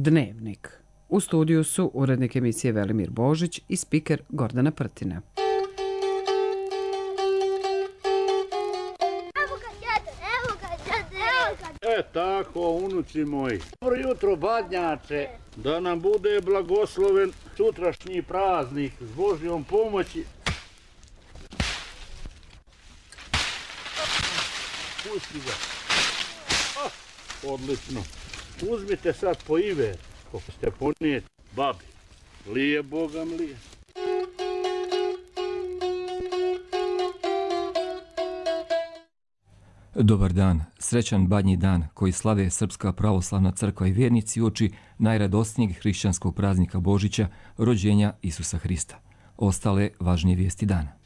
Dnevnik. U studiju su urednik emisije Velimir Božić i spiker Gordana Prtina. Tako, unuci moji. Dobro jutro, badnjače. Da nam bude blagosloven sutrašnji praznik s Božjom pomoći. Pusti ga. Odlično. Uzmite sad po iver, kako ste ponijeti babi. Lije Bogam lije. Dobar dan, srećan badnji dan koji slave Srpska pravoslavna crkva i vjernici uoči najradosnijeg hrišćanskog praznika Božića, rođenja Isusa Hrista. Ostale važnije vijesti dana.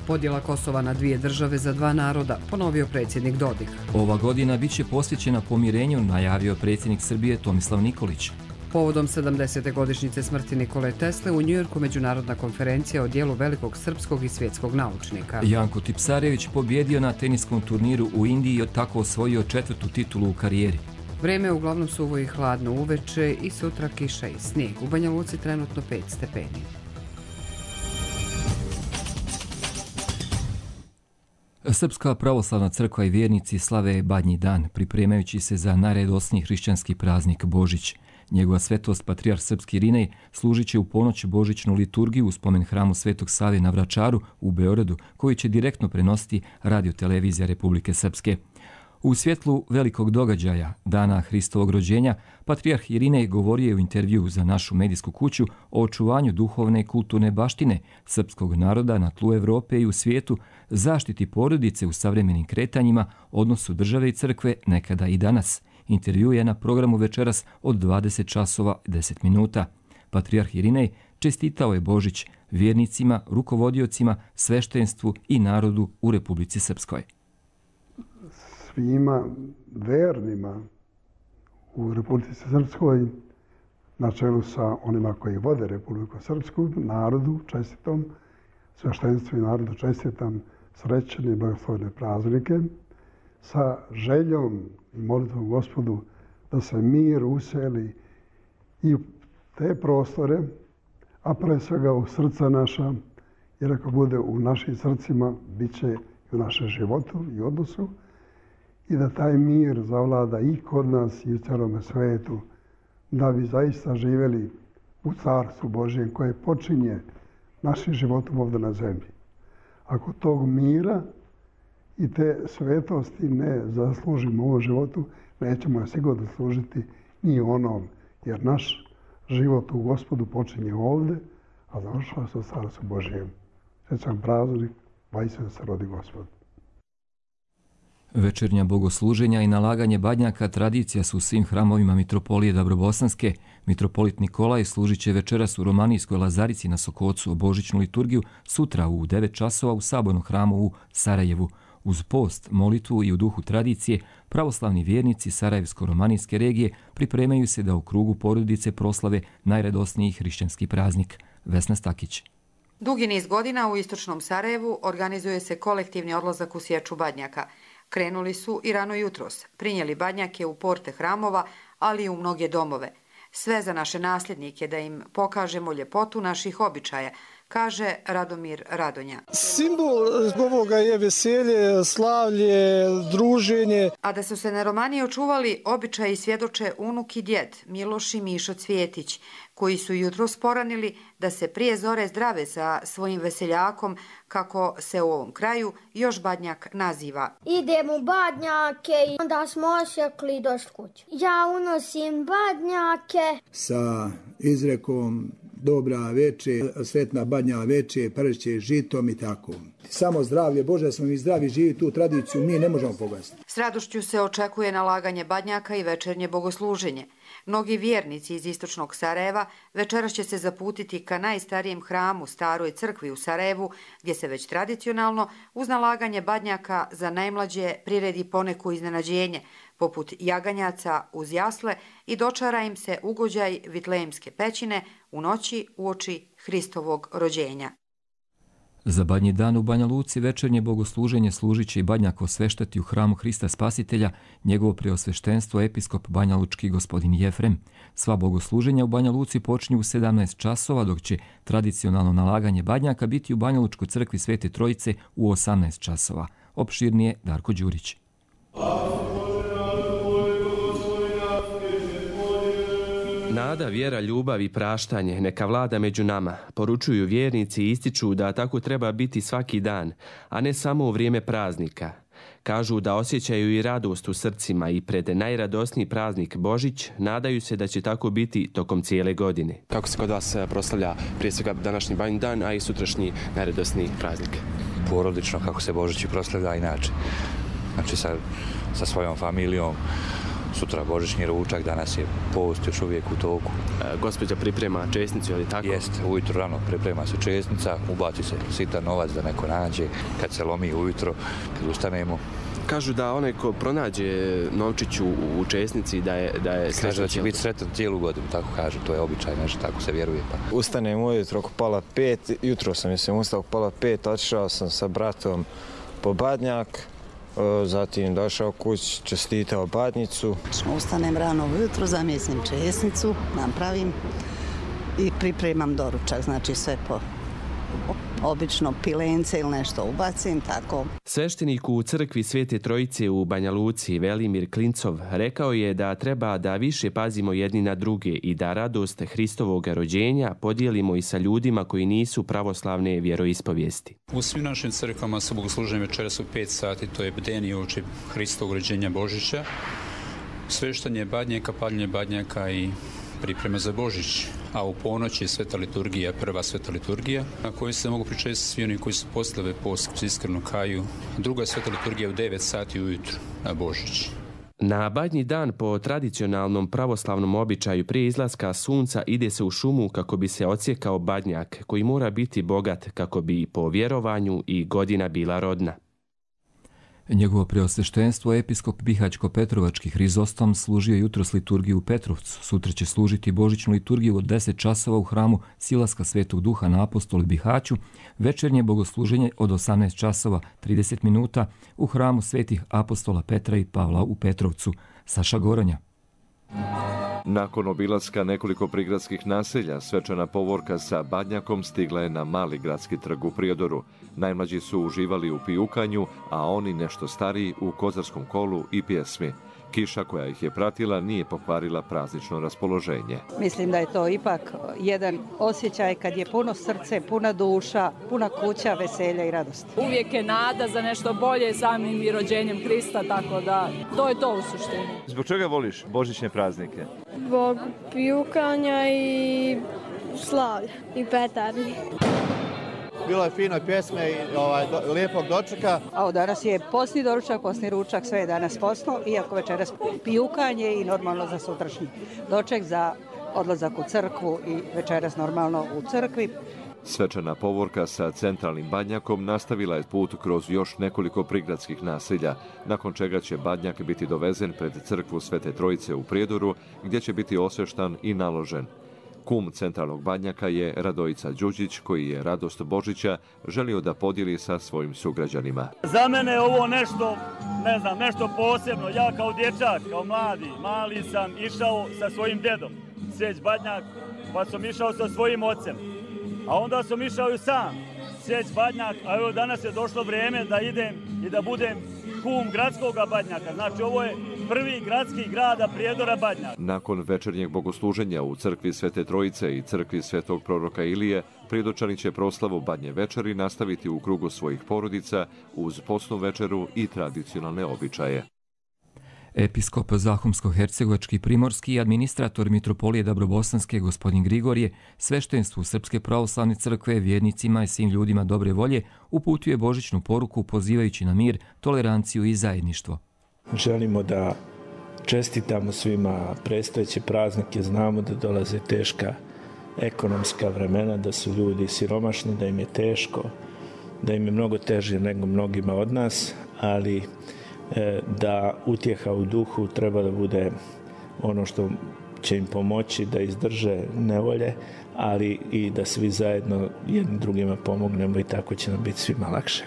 Podjela Kosova na dvije države za dva naroda, ponovio predsjednik Dodik. Ova godina bit će posvećena pomirenju, najavio predsjednik Srbije Tomislav Nikolić. Povodom 70. godišnjice smrti Nikole Tesle u Njujorku međunarodna konferencija o dijelu velikog srpskog i svjetskog naučnika. Janko Tipsarević pobjedio na teniskom turniru u Indiji i tako osvojio 4. titulu u karijeri. Vrijeme je uglavnom suvo i hladno uveče i sutra kiša i snijeg. U Banja Luci trenutno 5 stepeni. Srpska pravoslavna crkva i vjernici slave badnji dan, pripremajući se za najradosniji hrišćanski praznik Božić. Njegova svetost patrijarh srpski Irinej služit će u ponoć božićnu liturgiju u spomen hramu Svetog Save na Vračaru u Beogradu, koji će direktno prenositi radiotelevizija Republike Srpske. U svjetlu velikog događaja, dana Hristovog rođenja, patrijarh Irinej govorio je u intervjuu za našu medijsku kuću o očuvanju duhovne i kulturne baštine srpskog naroda na tlu Evrope i u svijetu, zaštiti porodice u savremenim kretanjima, odnosu države i crkve nekada i danas. Intervju je na programu večeras od 20 časova 10 minuta. Patrijarh Irinej čestitao je Božić vjernicima, rukovodiocima, sveštenstvu i narodu u Republici Srpskoj. Svima vernima u Republici Srpskoj, na čelu sa onima koji vode Republiku Srpsku, narodu čestitom, sveštenstvu i narodu čestitam srećne i blagoslovene praznike, sa željom i molitvom Gospodu da se mir useli i u te prostore, a pre svega u srca naša, jer ako bude u našim srcima, bit će i u našem životu i odnosu, i da taj mir zavlada i kod nas i u cijelome svijetu, da bi zaista živjeli u Carstvu Božjem koje počinje našim životom ovdje na zemlji. Ako tog mira i te svetosti ne zaslužimo u ovom životu, nećemo je sigurno služiti ni onom, jer naš život u Gospodu počinje ovdje, a završava se u Carstvu Božjem. Srećan praznik, vajse da se rodi Gospod. Večernja bogosluženja i nalaganje badnjaka tradicija su u svim hramovima Mitropolije Dabrobosanske. Mitropolit Nikolaj služit će večeras u Romanijskoj Lazarici na Sokocu o božićnu liturgiju, sutra u 9 časova u Sabornom hramu u Sarajevu. Uz post, molitvu i u duhu tradicije, pravoslavni vjernici Sarajevsko-romanijske regije pripremaju se da u krugu porodice proslave najradosniji hrišćanski praznik. Vesna Stakić. Dugi niz godina u istočnom Sarajevu organizuje se kolektivni odlazak u sječu badnjaka. Krenuli su i rano jutros, prinijeli badnjake u porte hramova, ali i u mnoge domove. Sve za naše nasljednike da im pokažemo ljepotu naših običaja, kaže Radomir Radonja. Simbol ovoga je veselje, slavlje, druženje. A da su se na Romaniji očuvali običaji svjedoče unuk i djed Miloš i Mišo Cvjetić, koji su jutros poranili da se prije zore zdrave sa svojim veseljakom, kako se u ovom kraju još badnjak naziva. Idemo u badnjake i onda smo osjekli došli kući. Ja unosim badnjake. Sa izrekom dobra veče, sretna badnja veče, pršće žitom i tako. Samo zdravlje Bože, da smo mi zdravi živi, tu tradiciju mi ne možemo pogasiti. S radošću se očekuje nalaganje badnjaka i večernje bogosluženje. Mnogi vjernici iz istočnog Sarajeva večeras će se zaputiti ka najstarijem hramu, staroj crkvi u Sarajevu, gdje se već tradicionalno uz nalaganje badnjaka za najmlađe priredi poneku iznenađenje, poput jaganjaca uz jasle i dočara im se ugođaj Vitlejemske pećine u noći uoči Hristovog rođenja. Za Badnji dan u Banja Luci večernje bogosluženje služit će i badnjak osveštati u hramu Hrista Spasitelja, njegovo preosveštenstvo episkop banjalučki gospodin Jefrem. Sva bogosluženja u Banja Luci počinju u 17 časova, dok će tradicionalno nalaganje badnjaka biti u Banjalučkoj crkvi Svete Trojice u 18 časova. Opširnije Darko Đurić. Nada, vjera, ljubav i praštanje neka vlada među nama, poručuju vjernici i ističu da tako treba biti svaki dan, a ne samo u vrijeme praznika. Kažu da osjećaju i radost u srcima i pred najradosniji praznik Božić nadaju se da će tako biti tokom cijele godine. Kako se kod vas proslavlja prije svega današnji Badnji dan, a i sutrašnji najradosniji praznik? Porodično kako se Božić proslavlja inače. Znači sa svojom familijom. Sutra božićni ručak, danas je post još uvijek u toku. Gospođa priprema česnicu, je li tako? Jeste, ujutro rano priprema se česnica, ubaci se sitan novac da neko nađe, kad se lomi ujutro, kad ustanemo. Kažu da onaj ko pronađe novčić u česnici da je srećan. Kaže da će biti sretan cijelu godinu, tako kažu, to je običaj, nešto tako se vjeruje. Pa. Ustanem ujutro oko 4:30, jutro sam ustao oko 4:30, otišao sam sa bratom po badnjak. Zatim došao kuć, čestitao badnjicu. Ustanem rano ujutro, zamjesim česnicu, napravim i pripremam doručak, znači sve po obično pilence ili nešto ubacim, tako. Sveštenik u crkvi Svete Trojice u Banja Luci, Velimir Klincov, rekao je da treba da više pazimo jedni na druge i da radost Hristovog rođenja podijelimo i sa ljudima koji nisu pravoslavne vjeroispovijesti. U svim našim crkvama su bogosluženje večeras u 5 sati, to je bdenije uoči Hristovog rođenja Božića, sveštanje badnjaka, paljenje badnjaka i priprema za Božić, a u ponoć je sveta liturgija, prva sveta liturgija, na kojoj se mogu pričesti svi oni koji su poslave post, iskreno kaju. Druga sveta liturgija u 9 sati ujutro na Božić. Na Badnji dan po tradicionalnom pravoslavnom običaju prije izlaska sunca ide se u šumu kako bi se odsjekao badnjak koji mora biti bogat kako bi po vjerovanju i godina bila rodna. Njegovo preosveštenstvo episkop Bihać-Petrovački Hrizostom služio jutros liturgiju u Petrovcu. Sutra će služiti božićnu liturgiju od 10 časova u hramu Silaska Svetog Duha na Apostoli Bihaću, večernje bogosluženje od 18 časova 30 minuta u hramu Svetih Apostola Petra i Pavla u Petrovcu. Saša Goronja. Nakon obilaska nekoliko prigradskih naselja, svečana povorka sa badnjakom stigla je na Mali gradski trg u Prijedoru. Najmlađi su uživali u pijukanju, a oni nešto stariji u kozarskom kolu i pjesmi. Kiša koja ih je pratila nije pokvarila praznično raspoloženje. Mislim da je to ipak jedan osjećaj kad je puno srce, puna duša, puna kuća, veselja i radosti. Uvijek je nada za nešto bolje samim i rođenjem Krista, tako da to je to u suštini. Zbog čega voliš božićne praznike? Zbog pijukanja i slavlja i petardi. Bilo je fino pjesme i lijepog dočeka. A danas je posni doručak, posni ručak, sve je danas posno, iako večeras pijukanje i normalno za sutrašnji doček, za odlazak u crkvu i večeras normalno u crkvi. Svečana povorka sa centralnim badnjakom nastavila je put kroz još nekoliko prigradskih naselja, nakon čega će badnjak biti dovezen pred crkvu Svete Trojice u Prijedoru, gdje će biti osveštan i naložen. Kum centralnog badnjaka je Radojica Đuđić, koji je radost Božića želio da podijeli sa svojim sugrađanima. Za mene je ovo nešto, nešto posebno. Ja kao dječak, kao mali sam išao sa svojim dedom, sjeć badnjak, pa sam išao sa svojim ocem. A onda sam išao i sam, sjeć badnjak, a evo danas je došlo vrijeme da idem i da budem kum gradskog badnjaka. Znači ovo je prvi gradski grada Prijedora badnjak. Nakon večernjeg bogosluženja u crkvi Svete Trojice i crkvi Svetog proroka Ilije, Prijedočani će proslavu Badnje večeri nastaviti u krugu svojih porodica uz postnu večeru i tradicionalne običaje. Episkop Zahumsko-Hercegovački Primorski i administrator Mitropolije Dabrobosanske gospodin Grigorije sveštenstvu Srpske pravoslavne crkve, vjernicima i svim ljudima dobre volje uputuje božićnu poruku pozivajući na mir, toleranciju i zajedništvo. Želimo da čestitamo svima predstojeće praznike, znamo da dolaze teška ekonomska vremena, da su ljudi siromašni, da im je teško, da im je mnogo teže nego mnogima od nas, ali da utjeha u duhu treba da bude ono što će im pomoći da izdrže nevolje, ali i da svi zajedno jednim drugima pomognemo i tako će nam biti svima lakše.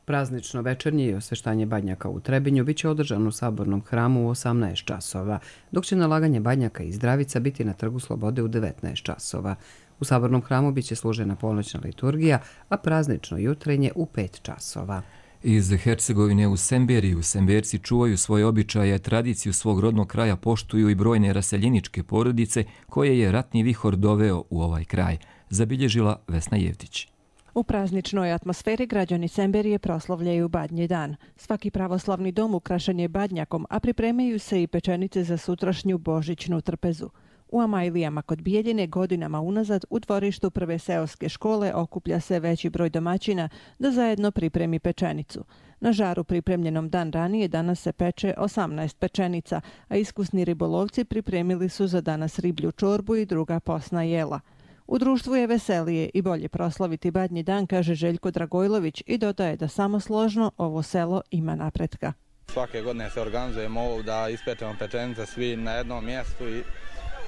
Praznično večernje i osveštanje badnjaka u Trebinju biće održano u Sabornom hramu u 18 časova, dok će nalaganje badnjaka i zdravica biti na Trgu Slobode u 19 časova. U Sabornom hramu biće služena ponoćna liturgija, a praznično jutrenje u 5 časova. Iz Hercegovine u Semberiju Semberci čuvaju svoje običaje, tradiciju svog rodnog kraja poštuju i brojne raseljeničke porodice koje je ratni vihor doveo u ovaj kraj, zabilježila Vesna Jevtić. U prazničnoj atmosferi građani Semberije proslavljaju Badnji dan. Svaki pravoslavni dom ukrašen je badnjakom, a pripremaju se i pečenice za sutrašnju božićnu trpezu. U Amajlijama kod Bijeljine godinama unazad u dvorištu prve seoske škole okuplja se veći broj domaćina da zajedno pripremi pečenicu. Na žaru pripremljenom dan ranije danas se peče 18 pečenica, a iskusni ribolovci pripremili su za danas riblju čorbu i druga posna jela. U društvu je veselije i bolje proslaviti Badnji dan, kaže Željko Dragojlović i dodaje da samo složno ovo selo ima napretka. Svake godine se organizujemo ovo da ispečemo pečenice svi na jednom mjestu i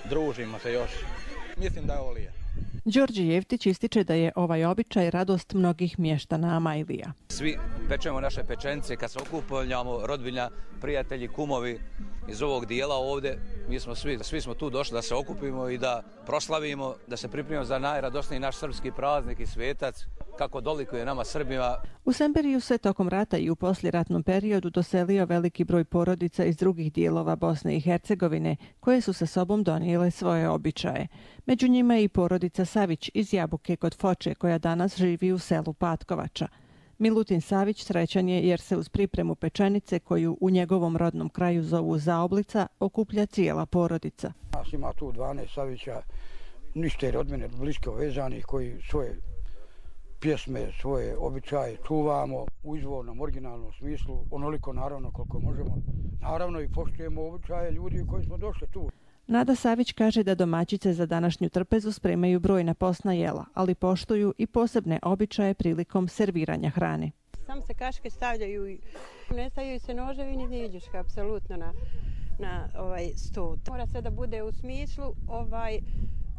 družimo se još. Mislim da je ovo lijepo. Đorđe Jevtić ističe da je ovaj običaj radost mnogih mještana Amajlija. Svi pečemo naše pečenice kad se okupljamo, rodbina, prijatelji, kumovi iz ovog dijela ovdje. Mi smo svi smo tu došli da se okupimo i da proslavimo, da se pripremimo za najradosniji naš srpski praznik i svetac, kako dolikuje nama Srbima. U Semberiju se tokom rata i u poslijeratnom periodu doselio veliki broj porodica iz drugih dijelova Bosne i Hercegovine, koje su sa sobom donijele svoje običaje. Među njima je i porodica Savić iz Jabuke kod Foče, koja danas živi u selu Patkovača. Milutin Savić srećan je jer se uz pripremu pečenice, koju u njegovom rodnom kraju zovu zaoblica, okuplja cijela porodica. Nas ima tu 12 Savića, ništa je od mene blisko vezanih, koji svoje pjesme, svoje običaje čuvamo u izvornom, originalnom smislu, onoliko naravno koliko možemo. Naravno i poštujemo običaje ljudi koji smo došli tu. Nada Savić kaže da domaćice za današnju trpezu spremaju brojna posna jela, ali poštuju i posebne običaje prilikom serviranja hrane. Samo se kaške stavljaju i ne stavljaju se noževi ni njeđuška, apsolutno na sto. Mora sve da bude u smislu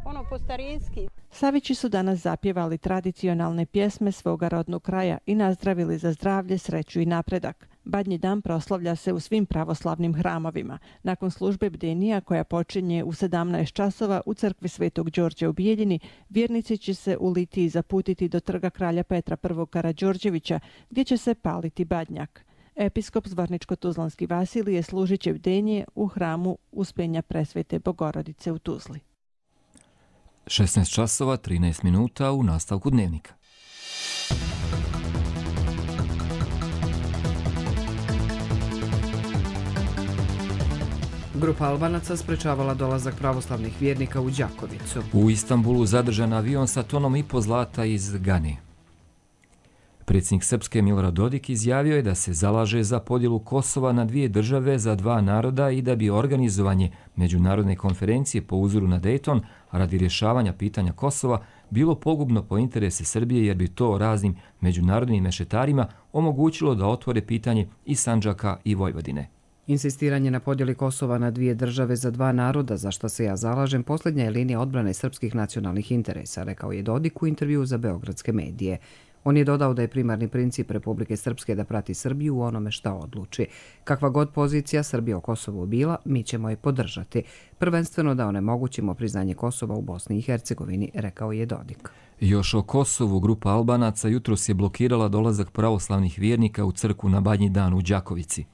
ono po starinski. Savići su danas zapjevali tradicionalne pjesme svoga rodnog kraja i nazdravili za zdravlje, sreću i napredak. Badnji dan proslavlja se u svim pravoslavnim hramovima. Nakon službe bdenija koja počinje u 17 časova u crkvi Svetog Đorđa u Bijeljini, vjernici će se u litiji zaputiti do trga kralja Petra I. Karađorđevića, gdje će se paliti badnjak. Episkop Zvorničko-Tuzlanski Vasilije služit će bdenje u hramu Uspenja Presvete Bogorodice u Tuzli. 16 časova 13 minuta u nastavku dnevnika. Grupa Albanaca sprečavala dolazak pravoslavnih vjernika u Đakovicu. U Istanbulu zadržan avion sa tonom i po zlata iz Gane. Predsjednik Srpske Milorad Dodik izjavio je da se zalaže za podjelu Kosova na dvije države za dva naroda i da bi organizovanje međunarodne konferencije po uzoru na Dayton radi rješavanja pitanja Kosova bilo pogubno po interese Srbije jer bi to raznim međunarodnim mešetarima omogućilo da otvore pitanje i Sandžaka i Vojvodine. Insistiranje na podjeli Kosova na dvije države za dva naroda, za što se ja zalažem, posljednja je linija odbrane srpskih nacionalnih interesa, rekao je Dodik u intervjuu za beogradske medije. On je dodao da je primarni princip Republike Srpske da prati Srbiju u onome šta odluči. Kakva god pozicija Srbije o Kosovu bila, mi ćemo je podržati. Prvenstveno da onemogućimo priznanje Kosova u Bosni i Hercegovini, rekao je Dodik. Još o Kosovu grupa Albanaca jutros je blokirala dolazak pravoslavnih vjernika u crkvu na Badnji dan u Đakovici.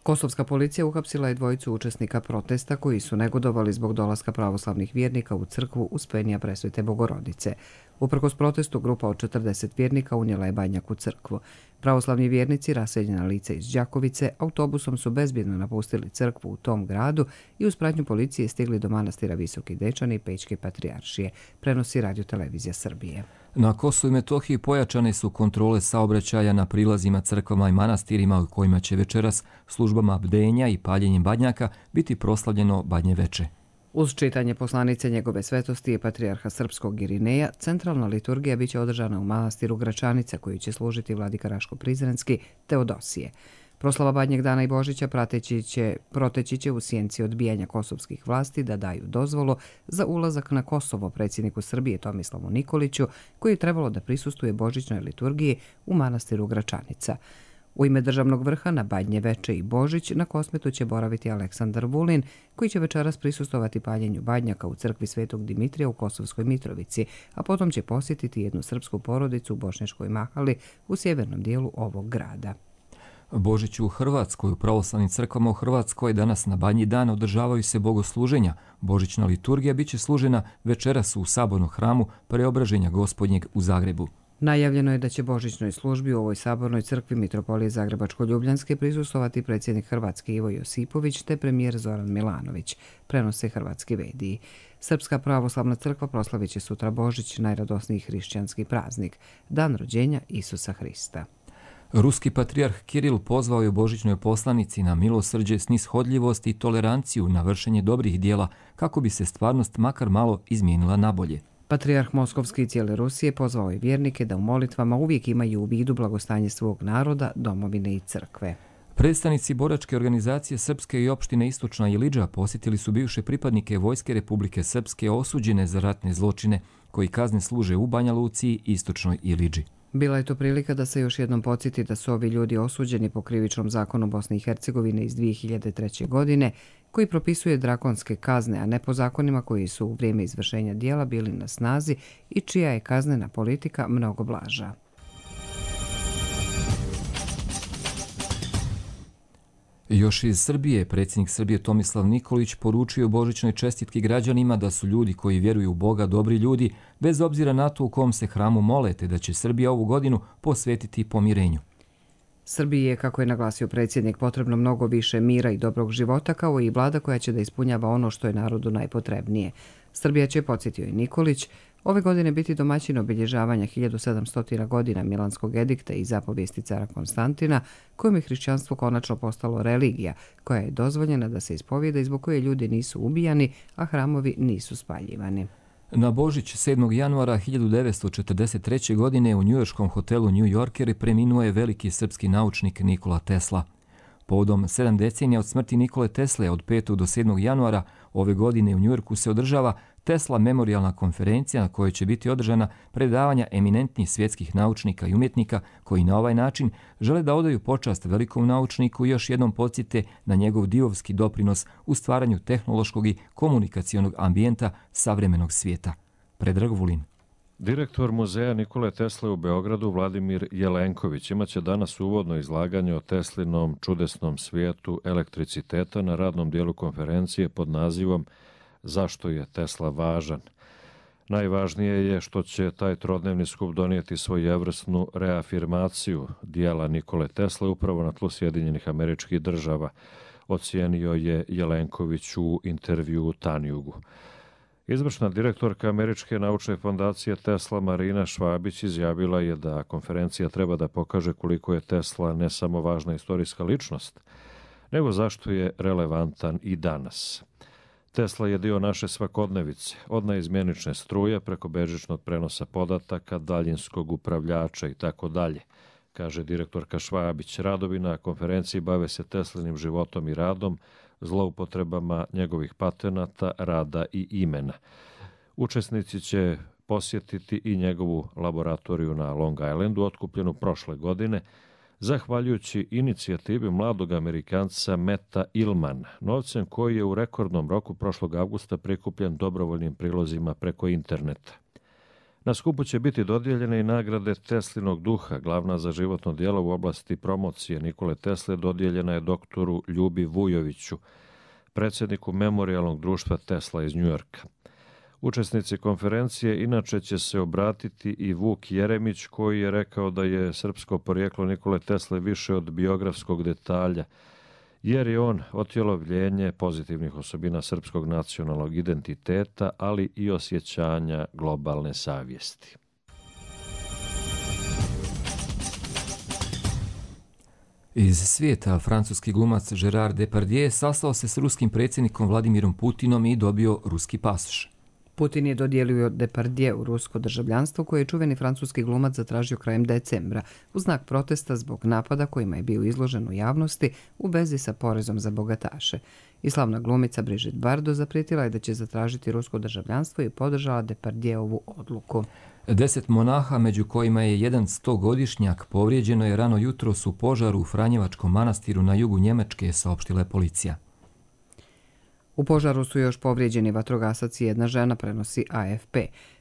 Kosovska policija uhapsila je dvojicu učesnika protesta koji su negodovali zbog dolaska pravoslavnih vjernika u crkvu Uspenja Presvete Bogorodice. Uprkos protestu, grupa od 40 vjernika unijela je badnjak u crkvu. Pravoslavni vjernici, raseljena lica iz Đakovice, autobusom su bezbjedno napustili crkvu u tom gradu i uz pratnju policije stigli do manastira Visoki Dečani i Pećke patrijaršije, prenosi Radio-televizija Srbije. Na Kosovu i Metohiji pojačane su kontrole saobraćaja na prilazima crkvama i manastirima u kojima će večeras službama bdenja i paljenjem badnjaka biti proslavljeno Badnje veče. Uz čitanje poslanice njegove svetosti i patrijarha srpskog Irineja, centralna liturgija biće održana u manastiru Gračanica, koju će služiti vladika Raško Prizrenski Teodosije. Proslava Badnjeg dana i Božića proteći će u sjenci odbijanja kosovskih vlasti da daju dozvolu za ulazak na Kosovo predsjedniku Srbije Tomislavu Nikoliću, koji je trebalo da prisustvuje božićnoj liturgiji u manastiru Gračanica. U ime državnog vrha na Badnje veče i Božić na Kosmetu će boraviti Aleksandar Vulin, koji će večeras prisustovati paljenju badnjaka u crkvi Svetog Dimitrija u Kosovskoj Mitrovici, a potom će posjetiti jednu srpsku porodicu u Bošnjačkoj Mahali u sjevernom dijelu ovog grada. Božić u Hrvatskoj, u pravoslavnim crkvama u Hrvatskoj danas na Badnji dan održavaju se bogosluženja. Božićna liturgija biće služena večeras u sabornom hramu Preobraženja Gospodnjeg u Zagrebu. Najavljeno je da će božićnoj službi u ovoj sabornoj crkvi Mitropolije Zagrebačko-Ljubljanske prisustvovati predsjednik Hrvatske Ivo Josipović te premijer Zoran Milanović, prenose hrvatski mediji. Srpska pravoslavna crkva proslavit će sutra Božić, najradosniji hrišćanski praznik, dan rođenja Isusa Hrista. Ruski patrijarh Kiril pozvao je božićnoj poslanici na milosrđe, snishodljivost i toleranciju na vršenje dobrih dijela kako bi se stvarnost makar malo izmijenila nabolje. Patrijarh Moskovski i cijele Rusije pozvao je vjernike da u molitvama uvijek imaju u vidu blagostanje svog naroda, domovine i crkve. Predstavnici boračke organizacije Srpske i opštine Istočna Ilidža posjetili su bivše pripadnike Vojske Republike Srpske osuđene za ratne zločine, koji kazne služe u Banja Luci i Istočnoj Ilidži. Bila je to prilika da se još jednom podsjeti da su ovi ljudi osuđeni po krivičnom zakonu Bosne i Hercegovine iz 2003. godine, koji propisuje drakonske kazne, a ne po zakonima koji su u vrijeme izvršenja dijela bili na snazi i čija je kaznena politika mnogo blaža. Još iz Srbije, predsjednik Srbije Tomislav Nikolić poručio božićnoj čestitki građanima da su ljudi koji vjeruju u Boga dobri ljudi, bez obzira na to u kom se hramu mole, te da će Srbija ovu godinu posvetiti pomirenju. Srbiji je, kako je naglasio predsjednik, potrebno mnogo više mira i dobrog života, kao i vlada koja će da ispunjava ono što je narodu najpotrebnije. Srbija će, podsjetio i Nikolić, ove godine biti domaćin obilježavanja 1700 godina Milanskog edikta i zapovijesti cara Konstantina, kojom je hrišćanstvo konačno postalo religija, koja je dozvoljena da se ispovijeda i zbog koje ljudi nisu ubijani, a hramovi nisu spaljivani. Na Božić 7. januara 1943. godine u njujorškom hotelu New Yorker preminuo je veliki srpski naučnik Nikola Tesla. Povodom 7 decenija od smrti Nikole Tesle od 5. do 7. januara ove godine u Njujorku se održava Tesla memorijalna konferencija na kojoj će biti održana predavanja eminentnih svjetskih naučnika i umjetnika koji na ovaj način žele da odaju počast velikom naučniku i još jednom podsjete na njegov divovski doprinos u stvaranju tehnološkog i komunikacionog ambijenta savremenog svijeta. Predrag Vulin. Direktor muzeja Nikole Tesle u Beogradu, Vladimir Jelenković, imaće danas uvodno izlaganje o Teslinom čudesnom svijetu elektriciteta na radnom dijelu konferencije pod nazivom Zašto je Tesla važan? Najvažnije je što će taj trodnevni skup donijeti svojevrsnu reafirmaciju dijela Nikole Tesle upravo na tlu Sjedinjenih Američkih Država, ocijenio je Jelenković u intervjuu Tanjugu. Izvršna direktorka Američke naučne fondacije Tesla Marina Švabić izjavila je da konferencija treba da pokaže koliko je Tesla ne samo važna istorijska ličnost, nego zašto je relevantan i danas. Tesla je dio naše svakodnevice, od naizmjenične struje preko bežičnog prenosa podataka, daljinskog upravljača i tako dalje, kaže direktorka Švabić. Radovi na konferenciji bave se Teslinim životom i radom, zloupotrebama njegovih patenata, rada i imena. Učesnici će posjetiti i njegovu laboratoriju na Long Islandu, otkupljenu prošle godine, zahvaljujući inicijativi mladog Amerikanca Meta Illmana, novcem koji je u rekordnom roku prošlog avgusta prikupljen dobrovoljnim prilozima preko interneta. Na skupu će biti dodijeljene i nagrade Teslinog duha. Glavna za životno djelo u oblasti promocije Nikole Tesle dodijeljena je doktoru Ljubi Vujoviću, predsjedniku Memorijalnog društva Tesla iz Njujorka. Učesnici konferencije inače će se obratiti i Vuk Jeremić, koji je rekao da je srpsko porijeklo Nikole Tesle više od biografskog detalja, jer je on otjelovljenje pozitivnih osobina srpskog nacionalnog identiteta, ali i osjećanja globalne savjesti. Iz svijeta francuski glumac Gérard Depardieu sastao se s ruskim predsjednikom Vladimirom Putinom i dobio ruski pasoš. Putin je dodijelio Depardieu rusko državljanstvo koje je čuveni francuski glumac zatražio krajem decembra u znak protesta zbog napada kojima je bio izložen u javnosti u vezi sa porezom za bogataše. I slavna glumica Brigitte Bardot zaprijetila je da će zatražiti rusko državljanstvo i podržala Depardieuovu odluku. 10 monaha, među kojima je jedan 100-godišnjak, povrijeđeno je rano jutros u požaru u Franjevačkom manastiru na jugu Njemačke, saopštila je policija. U požaru su još povrijeđeni vatrogasac i jedna žena, prenosi AFP.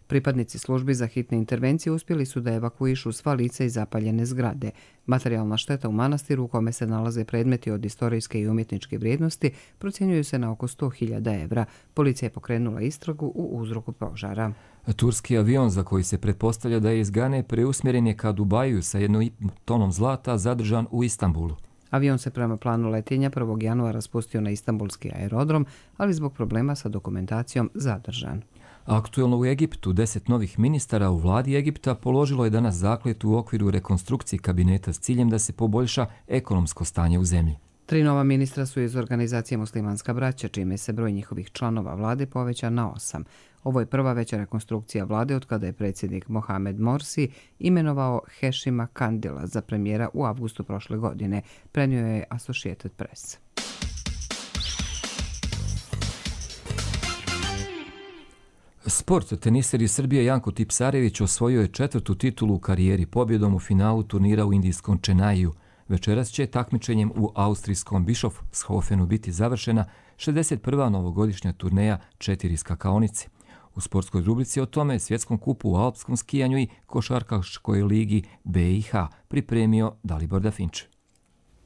Pripadnici službi za hitne intervencije uspjeli su da evakuišu sva lica iz zapaljene zgrade. Materijalna šteta u manastiru u kome se nalaze predmeti od istorijske i umjetničke vrijednosti procjenjuju se na oko 100.000 evra. Policija je pokrenula istragu u uzroku požara. Turski avion za koji se pretpostavlja da je iz Gane preusmjeren je ka Dubaju sa 1,5 tonom zlata zadržan u Istanbulu. Avion se prema planu letenja 1. januara spustio na Istanbulski aerodrom, ali zbog problema sa dokumentacijom zadržan. Aktuelno u Egiptu 10 novih ministara u vladi Egipta položilo je danas zakletvu u okviru rekonstrukcije kabineta s ciljem da se poboljša ekonomsko stanje u zemlji. 3 nova ministra su iz organizacije Muslimanska braća, čime se broj njihovih članova vlade poveća na 8. Ovo je prva veća rekonstrukcija vlade od kada je predsjednik Mohamed Morsi imenovao Hešima Kandila za premijera u avgustu prošle godine, prenio je Associated Press. Sport. Teniser iz Srbije Janko Tipsarević osvojio je 4. titulu u karijeri pobjedom u finalu turnira u indijskom Čenaiju. Večeras će takmičenjem u austrijskom Bischofshofenu biti završena 61. novogodišnja turneja 4 skakaonice. U sportskoj rubrici o tome svjetskom kupu u alpskom skijanju i košarkaškoj ligi BiH pripremio Dalibor Dafinč.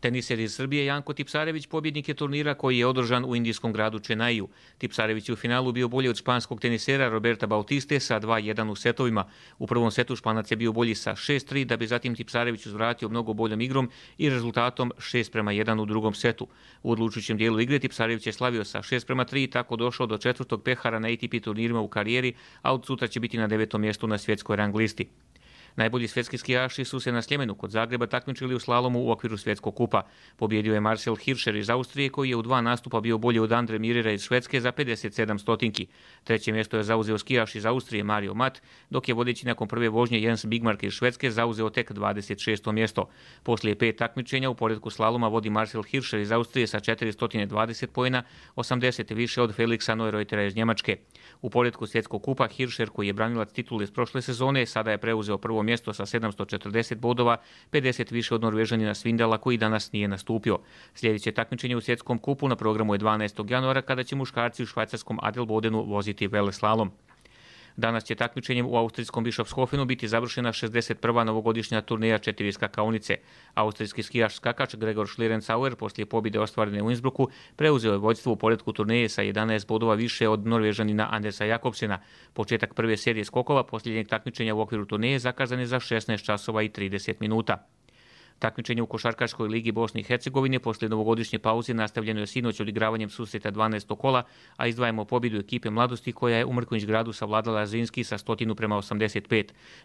Teniser iz Srbije Janko Tipsarević pobjednik je turnira koji je održan u indijskom gradu Čenaiju. Tipsarević je u finalu bio bolji od španskog tenisera Roberta Bautiste sa 2-1 u setovima. U prvom setu Španac je bio bolji sa 6-3, da bi zatim Tipsarević uzvratio mnogo boljom igrom i rezultatom 6-1 u drugom setu. U odlučujućem dijelu igre Tipsarević je slavio sa 6-3 i tako došao do 4. pehara na ATP turnirima u karijeri, a od sutra će biti na 9. mjestu na svjetskoj rang listi. Najbolji svjetski skijaši su se na Sljemenu kod Zagreba takmičili u slalomu u okviru svjetskog kupa. Pobjedio je Marcel Hirscher iz Austrije koji je u 2 nastupa bio bolji od Andre Mirera iz Švedske za 57 stotinki. Treće mjesto je zauzeo skijaš iz Austrije Mario Mat, dok je vodeći nakon prve vožnje Jens Bigmark iz Švedske zauzeo tek 26. mjesto. Poslije 5 takmičenja u poredku slaloma vodi Marcel Hirscher iz Austrije sa 420 poena, 80 više od Felixa Neureutera iz Njemačke. U poredku svjetskog kupa Hirscher, koji je branilac titule iz prošle sezone, sada je preuzeo prvo mjesto sa 740 bodova, 50 više od Norvežanina Svindala koji danas nije nastupio. Sljedeće takmičenje u svjetskom kupu na programu je 12. januara kada će muškarci u švajcarskom Adelbodenu voziti veleslalom. Danas će takmičenjem u austrijskom Bischofshofenu biti završena 61. novogodišnja turneja 4 skakaonice. Austrijski skijaš skakač Gregor Schlierenzauer poslije pobjede ostvarene u Innsbrucku preuzeo je vođstvo u poretku turneje sa 11 bodova više od Norvežanina Andersa Jakobsena. Početak prve serije skokova posljednjeg takmičenja u okviru turneje zakazan je za 16 časova i 30 minuta. Takmičenje u košarkaškoj ligi Bosne i Hercegovine poslije novogodišnje pauze nastavljeno je sinoć odigravanjem susreta 12. kola, a izdvajamo pobjedu ekipe Mladosti koja je u Mrkonjić gradu savladala Zrinski sa 100:85.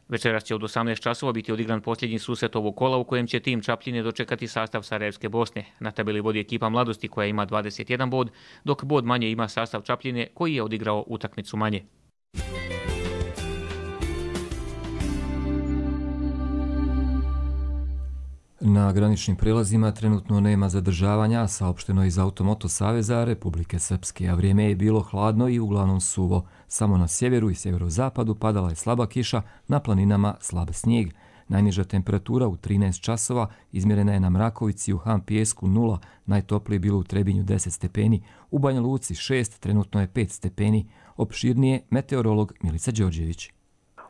Večeras će od 18 časova biti odigran posljednji susret ovog kola u kojem će tim Čapljine dočekati sastav Sarajevske Bosne. Na tabeli vodi ekipa Mladosti koja ima 21 bod, dok bod manje ima sastav Čapljine koji je odigrao utakmicu manje. Na graničnim prelazima trenutno nema zadržavanja, saopšteno iz Automoto Saveza Republike Srpske, a vrijeme je bilo hladno i uglavnom suvo. Samo na sjeveru i sjeverozapadu padala je slaba kiša, na planinama slab snijeg. Najniža temperatura u 13 časova izmjerena je na Mrakovici u Han Pijesku 0, najtoplije bilo u Trebinju 10 stepeni, u Banja Luci 6, trenutno je 5 stepeni. Opširnije meteorolog Milica Đorđević.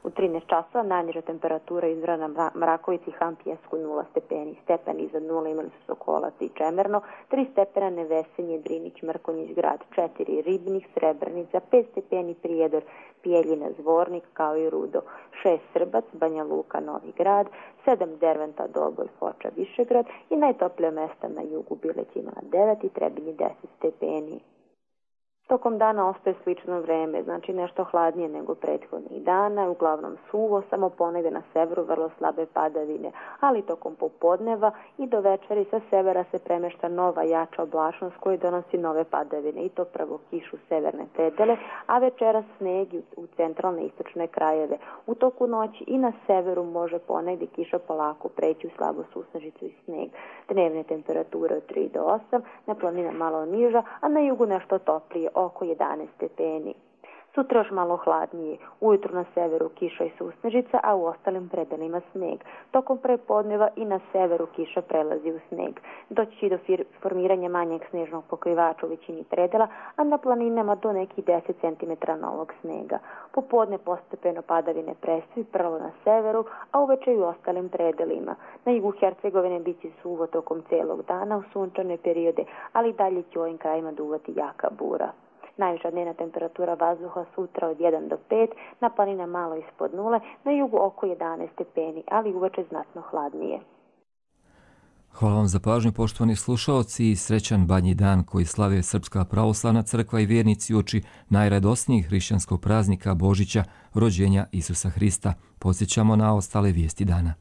U 13 časova najniža temperatura izmjerena na Mrakovici i Han Pijesku 0 stepeni. Stepen iznad 0 imali su Sokolac i Čemerno, 3 stepena Nevesenje, Drinić, Mrkonjić grad, 4 Ribnik, Srebrenica, 5 stepeni Prijedor, Pijeljina, Zvornik kao i Rudo, 6 Srbac, Banja Luka, Novi grad, 7 Derventa, Doboj, Foča, Višegrad i najtoplije mjesta na jugu Bilećima 9 i Trebinji 10 stepeni. Tokom dana ostaje slično vreme, znači nešto hladnije nego prethodnih dana, uglavnom suvo, samo ponegde na severu vrlo slabe padavine, ali tokom popodneva i do večeri sa severa se premešta nova jača oblačnost koja donosi nove padavine i to prvo kišu severne predele, a večeras sneg u centralne i istočne krajeve. U toku noći i na severu može ponegde kiša polako preći u slabu susnežicu i sneg. Dnevne temperature od 3 do 8, na planinama malo niža, a na jugu nešto toplije, oko 11 stepeni. Sutra još malo hladnije, ujutru na severu kiša i susnežica, a u ostalim predelima sneg. Tokom prepodneva i na severu kiša prelazi u sneg. Doći će do formiranja manjeg snežnog pokrivača u većini predela, a na planinama do nekih 10 cm novog snega. Popodne postepeno padavine prestaju prvo na severu, a uveče i u ostalim predelima. Na jugu Hercegovine bit će suvo tokom celog dana u sunčane periode, ali dalje će u ovim krajima duvati jaka bura. Najviša dnevna temperatura vazduha sutra od 1 do 5, na planina malo ispod 0, na jugu oko 11 stepeni, ali uveče znatno hladnije. Hvala vam za pažnju, poštovani slušaoci, i srećan Badnji dan koji slave Srpska pravoslavna crkva i vjernici uoči najradosnijih hrišćanskog praznika Božića, rođenja Isusa Hrista. Podsjećamo na ostale vijesti dana.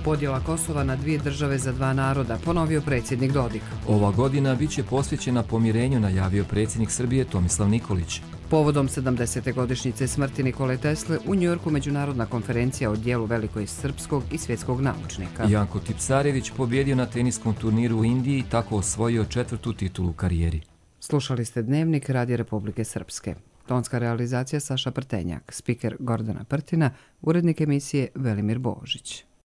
Podjela Kosova na 2 države za 2 naroda, ponovio predsjednik Dodik. Ova godina bit će posvećena pomirenju, najavio predsjednik Srbije Tomislav Nikolić. Povodom 70. godišnjice smrti Nikole Tesle u Njujorku međunarodna konferencija o dijelu velikoj srpskog i svjetskog naučnika. Janko Tipsarević pobjedio na teniskom turniru u Indiji i tako osvojio 4. titulu u karijeri. Slušali ste Dnevnik Radija Republike Srpske. Tonska realizacija Saša Prtenjak, spiker Gordana Prtina, urednik emisije Velimir Božić.